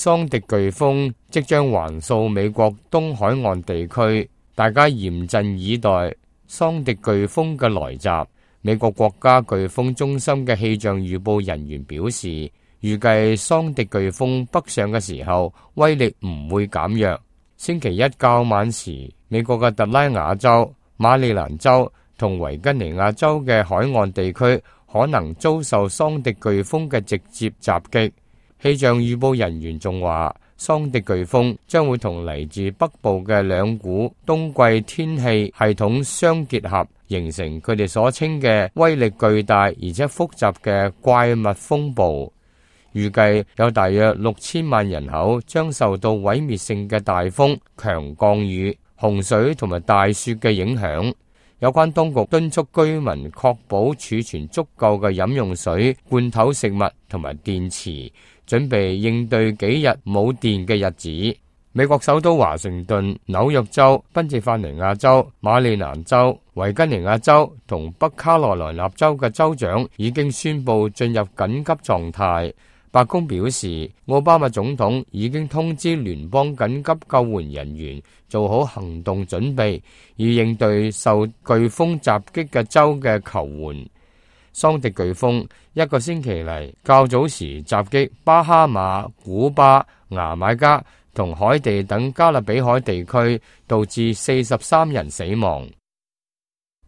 桑迪颶風即將橫掃美國東海岸地區，大家嚴陣以待桑迪颶風嘅來襲。美國國家颶風中心嘅氣象預報人員表示，預計桑迪颶風北上嘅時候威力唔會減弱。星期一較晚時，美國嘅特拉瓦州、馬里蘭州同維吉尼亞州嘅海岸地區可能遭受桑迪颶風嘅直接襲擊。氣象預報人員仲話，桑迪颶風將會同嚟自北部嘅兩股冬季天氣系統相結合，形成佢哋所稱嘅威力巨大而且複雜嘅怪物風暴。預計有大約6000萬人口將受到毀滅性嘅大風、強降雨、洪水同埋大雪嘅影響。有關當局敦促居民確保儲存足夠嘅飲用水、罐頭食物同埋電池，準備應對幾日冇電嘅日子。美國首都華盛頓、紐約州、賓夕法尼亞州、馬里蘭州、維吉尼亞州同北卡羅來納州嘅州長已經宣布進入緊急狀態。白宮表示，奧巴馬總統已經通知聯邦緊急救援人員做好行動準備，以應對受颶風襲擊嘅州嘅求援。桑迪颶風一個星期嚟較早時襲擊巴哈馬、古巴、牙買加同海地等加勒比海地區，導致43人死亡。